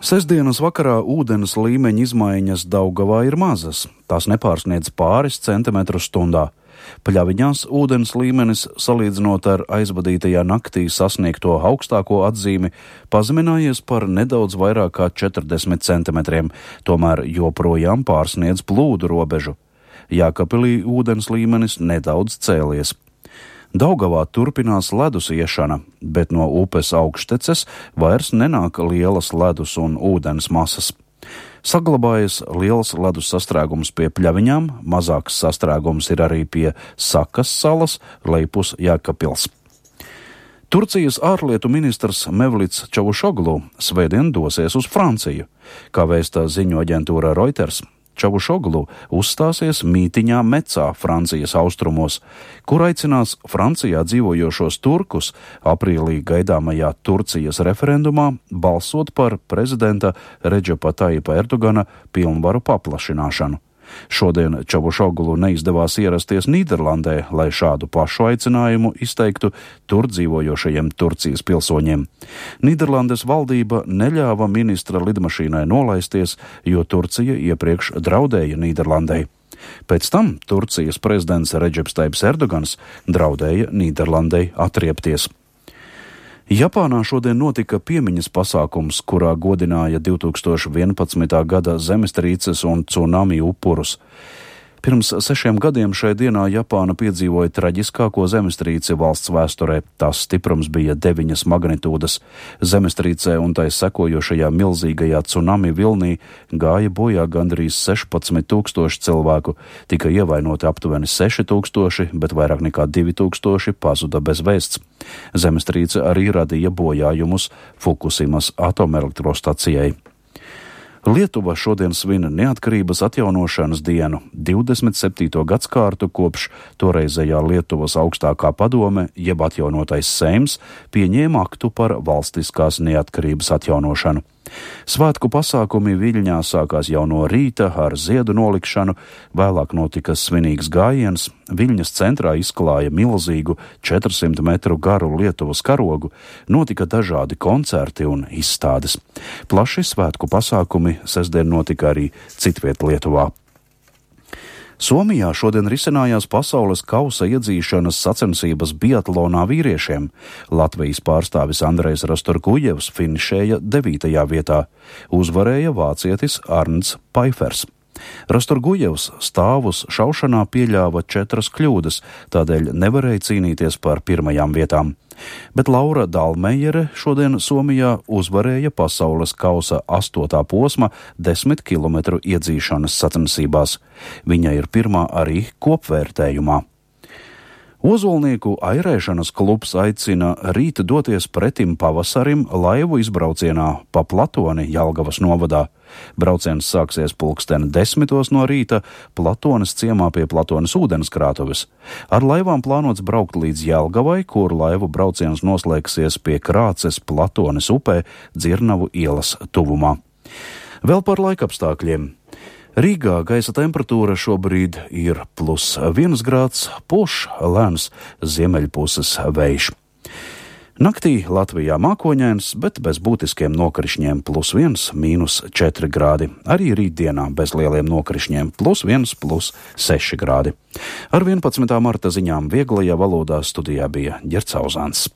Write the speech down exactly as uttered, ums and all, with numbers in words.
Sestdienas vakarā ūdens līmeņa izmaiņas Daugavā ir mazas. Tās nepārsniedz pāris centimetrus stundā. Pļaviņās ūdens līmenis, salīdzinot ar aizvadītajā naktī sasniegto augstāko atzīmi, pazeminājies par nedaudz vairāk kā četrdesmit centimetriem, tomēr joprojām pārsniedz plūdu robežu. Jākapilī ūdens līmenis nedaudz cēlies. Daugavā turpinās ledus iešana, bet no upes augšteces vairs nenāk lielas ledus un ūdens masas. Saglabājas liels ledus sastrēgums pie Pļaviņām, mazāks sastrēgums ir arī pie Sakas salas, Leipus Jēkabpils. Turcijas ārlietu ministrs Mevlits Čavušoglu svētdien dosies uz Franciju. Kā vēsta ziņu aģentūra Reuters, Čavušoglu uzstāsies mītiņā Mecā, Francijas austrumos, kur aicinās Francijā dzīvojošos turkus aprīlī gaidāmajā Turcijas referendumā balsot par prezidenta Redžepa Tajipa Erdogana pilnvaru paplašināšanu. Šodien Čavušoglu neizdevās ierasties Nīderlandē, lai šādu pašu aicinājumu izteiktu tur dzīvojošajiem Turcijas pilsoņiem. Nīderlandes valdība neļāva ministra lidmašīnai nolaisties, jo Turcija iepriekš draudēja Nīderlandei. Pēc tam Turcijas prezidents Redžeps Tajips Erdogans draudēja Nīderlandei atriepties. Japānā šodien notika piemiņas pasākums, kurā godināja divtūkstoš vienpadsmitā gada zemestrīces un cunami upurus. Pirms sešiem gadiem šai dienā Japāna piedzīvoja traģiskāko zemestrīci valsts vēsturē. Tās stiprums bija deviņas magnitūdas. Zemestrīcē un tai sekojošajā milzīgajā cunami vilnī gāja bojā gandrīz sešpadsmit tūkstoši cilvēku. Tika ievainoti aptuveni seši tūkstoši, bet vairāk nekā divi tūkstoši pazuda bez vēsts. Zemestrīce arī radīja bojājumus Fukusimas atomelektrostacijai. Lietuva šodien svin neatkarības atjaunošanas dienu, divdesmit septīto gadskārtu kopš toreizējā Lietuvas augstākā padome, jeb atjaunotais Seims, pieņēma aktu par valstiskās neatkarības atjaunošanu. Svētku pasākumi Viļņā sākās jau no rīta ar ziedu nolikšanu, vēlāk notika svinīgs gājiens, Viļņas centrā izklāja milzīgu četrsimt metru garu Lietuvas karogu, notika dažādi koncerti un izstādes. Plaši svētku pasākumi sestdien notika arī citviet Lietuvā. Somijā šodien risinājās pasaules kausa iedzīšanas sacensības biatlonā vīriešiem. Latvijas pārstāvis Andrejs Rastorgujevs finišēja devītajā vietā. Uzvarēja vācietis Arnts Paifers. Rastorgujevs stāvus šaušanā pieļāva četras kļūdas, tādēļ nevarēja cīnīties par pirmajām vietām. Bet Laura Dalmejere šodien Somijā uzvarēja pasaules kausa astotā posma desmit kilometru iedzīšanas sacensībās. Viņa ir pirmā arī kopvērtējumā. Ozolnieku airēšanas klubs aicina rīt doties pretim pavasarim laivu izbraucienā pa Platoni Jelgavas novadā. Brauciens sāksies pulksteni desmitos no rīta Platones ciemā pie Platones ūdenskrātuves. Ar laivām plānots braukt līdz Jelgavai, kur laivu brauciens noslēgsies pie Krāces Platones upē Dzirnavu ielas tuvumā. Vēl par laikapstākļiem. Rīgā gaisa temperatūra šobrīd ir plus viens grāds, pūš lēns ziemeļpuses vējš. Naktī Latvijā mākoņains, bet bez būtiskiem nokrišņiem plus viens, mīnus četri grādi. Arī rītdienā bez lieliem nokrišņiem plus viens, plus seši grādi. Ar vienpadsmitā marta ziņām vieglajā valodā studijā bija Ģercauzāns.